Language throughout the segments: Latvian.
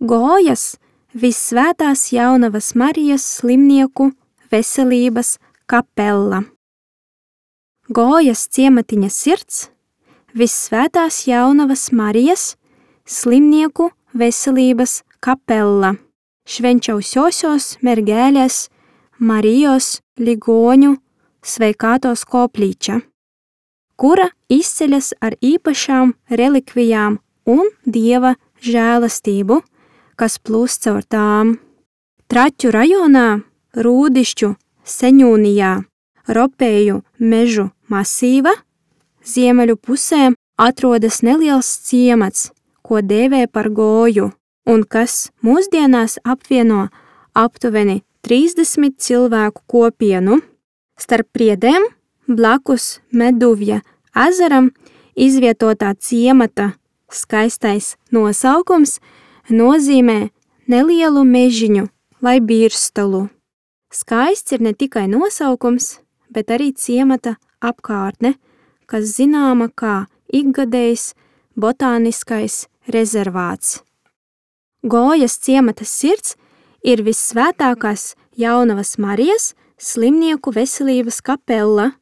Gojas Vissvētās Jaunavas Marijas slimnieku veselības kapella. Gojas ciematiņa sirds Vissvētās Jaunavas Marijas slimnieku veselības kapella. Švenčiausiosios mergelės Marijos ligoņu sveikātos koplyčia, kura izceļas ar īpašām relikvijām un Dieva žēlastību, kas plūst caur tām. Traķu rajonā, Rūdišķu seņūnijā, Ropēju mežu masīva, ziemeļu pusē atrodas neliels ciemats, ko dēvē par Goju, un kas mūsdienās apvieno aptuveni 30 cilvēku kopienu. Starp priedēm, blakus Meduvja ezeram, izvietotā ciemata skaistais nosaukums nozīmē nelielu mežiņu vai birstalu. Skaists ir ne tikai nosaukums, bet arī ciemata apkārtne, kas zināma kā ikgadējs botāniskais rezervāts. Gojas ciemata sirds ir Vissvētākās Jaunavas Marijas slimnieku veselības kapella,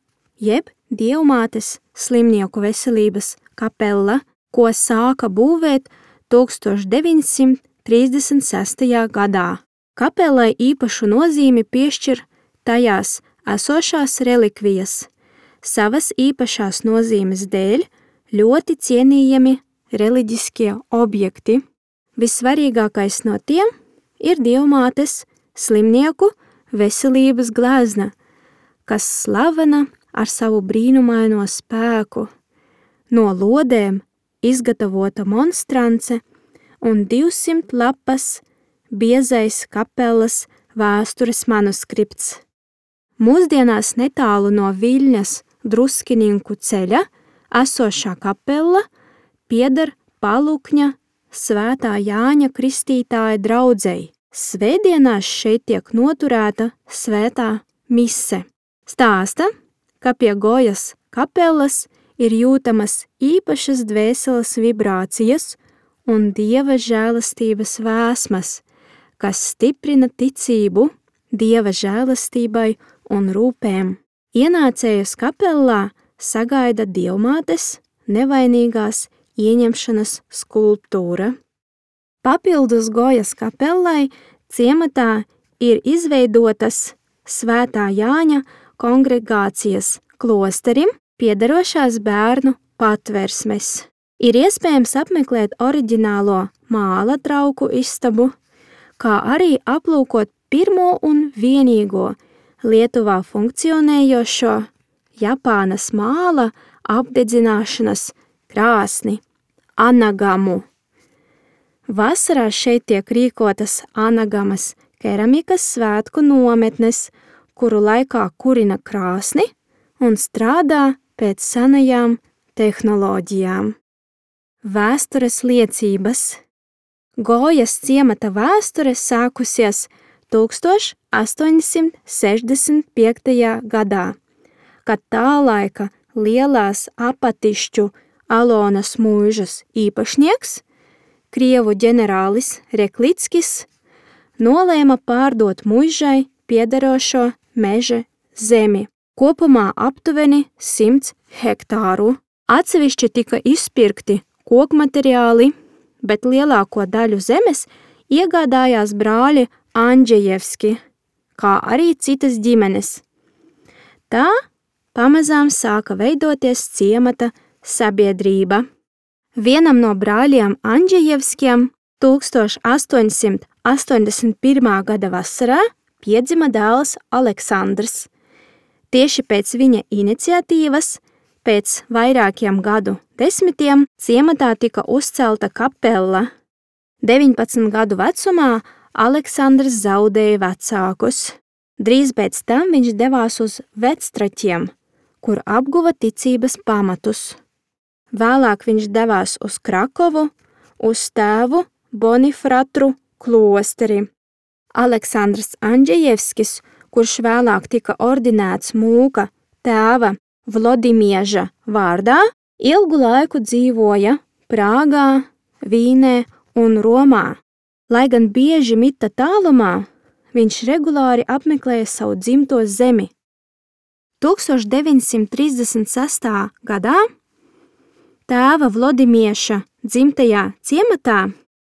jeb Dievmātes slimnieku veselības kapella, ko sāka būvēt 1936. gadā. Kapellai īpašu nozīmi piešķir tajās esošās relikvijas, savas īpašās nozīmes dēļ ļoti cienījami reliģiskie objekti. Vissvarīgākais no tiem ir Dievmātes slimnieku veselības glezna, kas slavena ar savu brīnumaino spēku, no lodēm izgatavota monstrance un 200 lapas biezais kapelas vēstures manuskripts. Mūsdienās netālu no Viļņas Druskininkų ceļa esošā kapella pieder Palukņa Svētā Jāņa Kristītāja draudzei. Svētdienās šeit tiek noturēta svētā mise. Stāsta, ka pie Gojas kapellas ir jūtamas īpašas dvēseles vibrācijas un Dieva žēlastības vēsmas, kas stiprina ticību Dieva žēlastībai un rūpēm. Ienācējus kapellā sagaida Dievmātes nevainīgās ieņemšanas skulptūra. Papildus Gojas kapellai ciematā ir izveidotas Svētā Jāņa kongregācijas klosterim piederošās bērnu patversmes. Ir iespējams apmeklēt oriģinālo māla trauku istabu, kā arī aplūkot pirmo un vienīgo Lietuvā funkcionējošo Japānas māla apdedzināšanas krāsni Anagamu. Vasarā šeit tiek rīkotas Anagamas keramikas svētku nometnes, kuru laikā kurina krāsni un strādā pēc senajām tehnoloģijām. Vēstures liecības. Gojas ciemata vēsture sākusies 1865. gadā, kad tā laika lielās Apatišķu Alonas mūžas īpašnieks, Krievu ģenerālis Reklickis, nolēma pārdot muižai piederošo meža zemi, kopumā aptuveni 100 hektāru. Atsevišķi tika izpirkti kokmateriāli, bet lielāko daļu zemes iegādājās brāļi Andžejevski, kā arī citas ģimenes. Tā pamazām sāka veidoties ciemata sabiedrība. Vienam no brāļiem Andžejevskiem 1881. gada vasarā piedzima dēls Aleksandrs. Tieši pēc viņa iniciatīvas, pēc vairākiem gadu desmitiem, ciematā tika uzcelta kapella. 19 gadu vecumā Aleksandrs zaudēja vecākus. Drīz pēc tam viņš devās uz Vectraķiem, kur apguva ticības pamatus. Vēlāk viņš devās uz Krakovu, uz tēvu Bonifratru klosteri. Aleksandrs Andžejevskis, kurš vēlāk tika ordinēts mūka tēva Vlodimieža vārdā, ilgu laiku dzīvoja Prāgā, Vīnē un Romā. Lai gan bieži mita tālumā, viņš regulāri apmeklēja savu dzimto zemi. 1936. gadā tēva Vlodimieša dzimtajā ciematā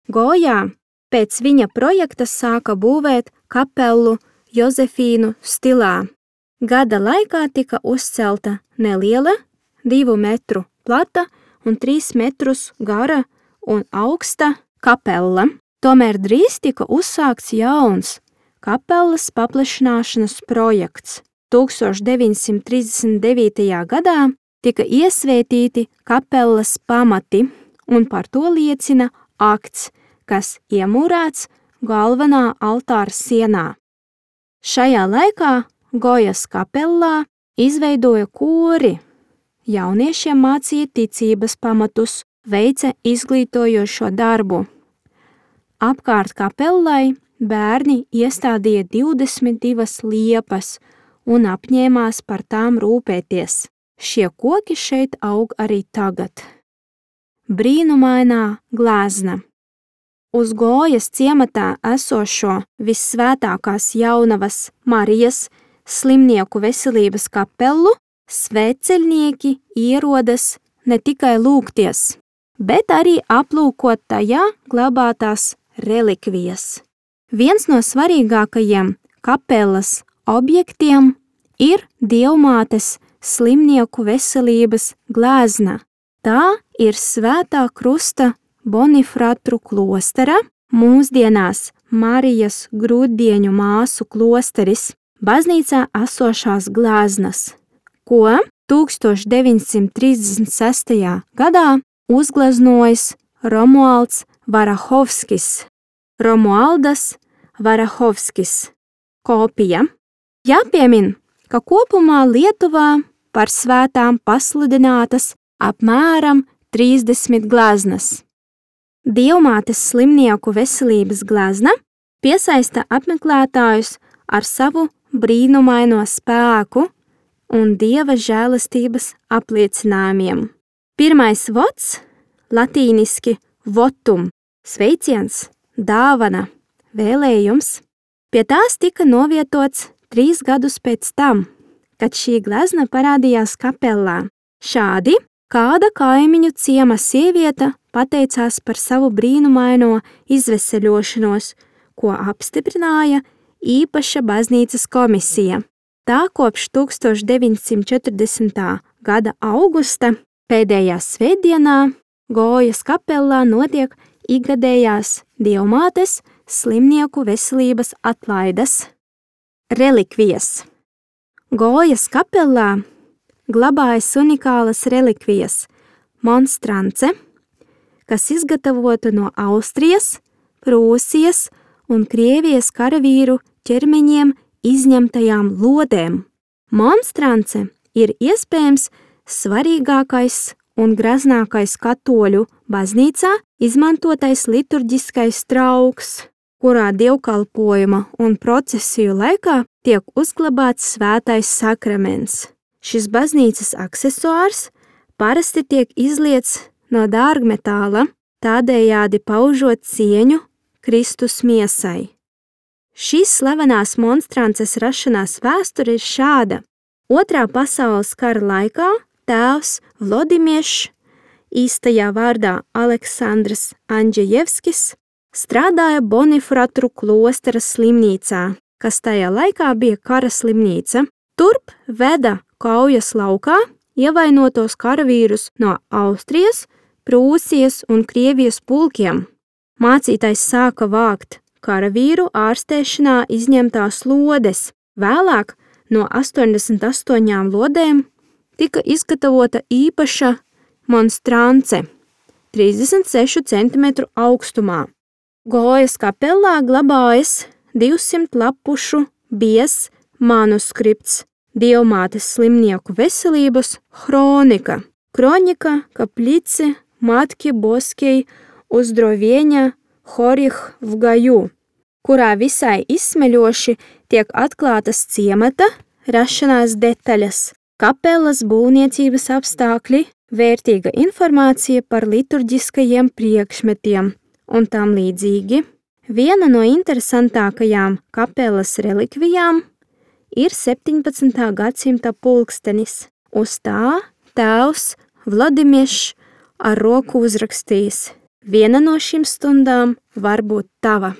Gojā pēc viņa projekta sāka būvēt kapelu Jozefīnu stilā. Gada laikā tika uzcelta neliela, 2 metru plata un 3 metrus gara un augsta kapela. Tomēr drīz tika uzsākts jauns kapelas paplašināšanas projekts. 1939. gadā tika iesvētīti kapelas pamati, un par to liecina akts, kas iemūrēts galvenā altāra sienā. Šajā laikā Gojas kapellā izveidoja kori. Jauniešiem mācīja ticības pamatus, veica izglītojošo darbu. Apkārt kapellai bērni iestādīja 22 liepas un apņēmās par tām rūpēties. Šie koki šeit aug arī tagad. Brīnumainā glezna. Uz Gojas ciematā esošo Vissvētākās jaunavas Marijas slimnieku veselības kapelu svētceļnieki ierodas ne tikai lūgties, bet arī aplūkot tajā glabātās relikvijas. Viens no svarīgākajiem kapelas objektiem ir Dievmātes slimnieku veselības glezna. Tā ir Svētā Krusta Bonifratru klostera, mūsdienās Marijas Grūtdieņu māsu klosteris, baznīcā esošās gleznas, ko 1936. gadā uzgleznojis Romualds Varahovskis. Romualdas Varahovskis. Kopija. Jāpiemin, ka kopumā Lietuvā par svētām pasludinātas apmēram 30 gleznas. Dievmātes slimnieku veselības glezna piesaista apmeklētājus ar savu brīnumaino spēku un Dieva žēlastības apliecinājumiem. Pirmais vots, latīniski votum, sveiciens, dāvana, vēlējums, pie tās tika novietots 3 gadus pēc tam, kad šī glezna parādījās kapellā. Šādi kāda kaimiņu ciema sieviete pateicās par savu brīnumaino izveseļošanos, ko apstiprināja īpaša baznīcas komisija. Tā kopš 1940. gada augusta pēdējā svētdienā Gojas kapellā notiek ikgadējās Dievmātes slimnieku veselības atlaides. Relikvijas. Gojas kapellā glabājas unikālas relikvijas monstrance, kas izgatavota no Austrijas, Prūsijas un Krievijas karavīru ķermeņiem izņemtajām lodēm. Monstrance ir iespējams svarīgākais un graznākais katoļu baznīcā izmantotais liturģiskais trauks, kurā dievkalpojuma un procesiju laikā tiek uzglabāts svētais sakraments. Šis baznīcas aksesuārs parasti tiek izliets no dārgmetāla, tādējādi paužot cieņu Kristus miesai. Šīs slavenās monstrances rašanās vēsture ir šāda. Otrā pasaules kara laikā tēvs Vlodimiešs, īstajā vārdā Aleksandrs Andžejevskis, strādāja Bonifratru klostera slimnīcā, kas tajā laikā bija kara slimnīca. Turp veda kaujas laukā ievainotos karavīrus no Austrijas, Prūsijas un Krievijas pulkiem. Mācītājs sāka vākt karavīru ārstēšanā izņemtās lodes. Vēlāk no 88 lodēm tika izgatavota īpaša monstrance 36 cm augstumā. Gojas kapellā glabājas 200 lapušu biezs manuskripts Dievmātes slimnieku veselības hronika. Kronika kaplici Matki Boskei uzdrovienia Horih v Gaju, kurā visai izsmeļoši tiek atklātas ciemata rašanās detaļas, kapelas būvniecības apstākļi, vērtīga informācija par liturģiskajiem priekšmetiem un tam līdzīgi. Viena no interesantākajām kapelas relikvijām ir 17. gadsimta pulkstenis. Uz tā tēvs Vladimirs ar roku uzrakstījis: viena no šīm stundām var būt tava.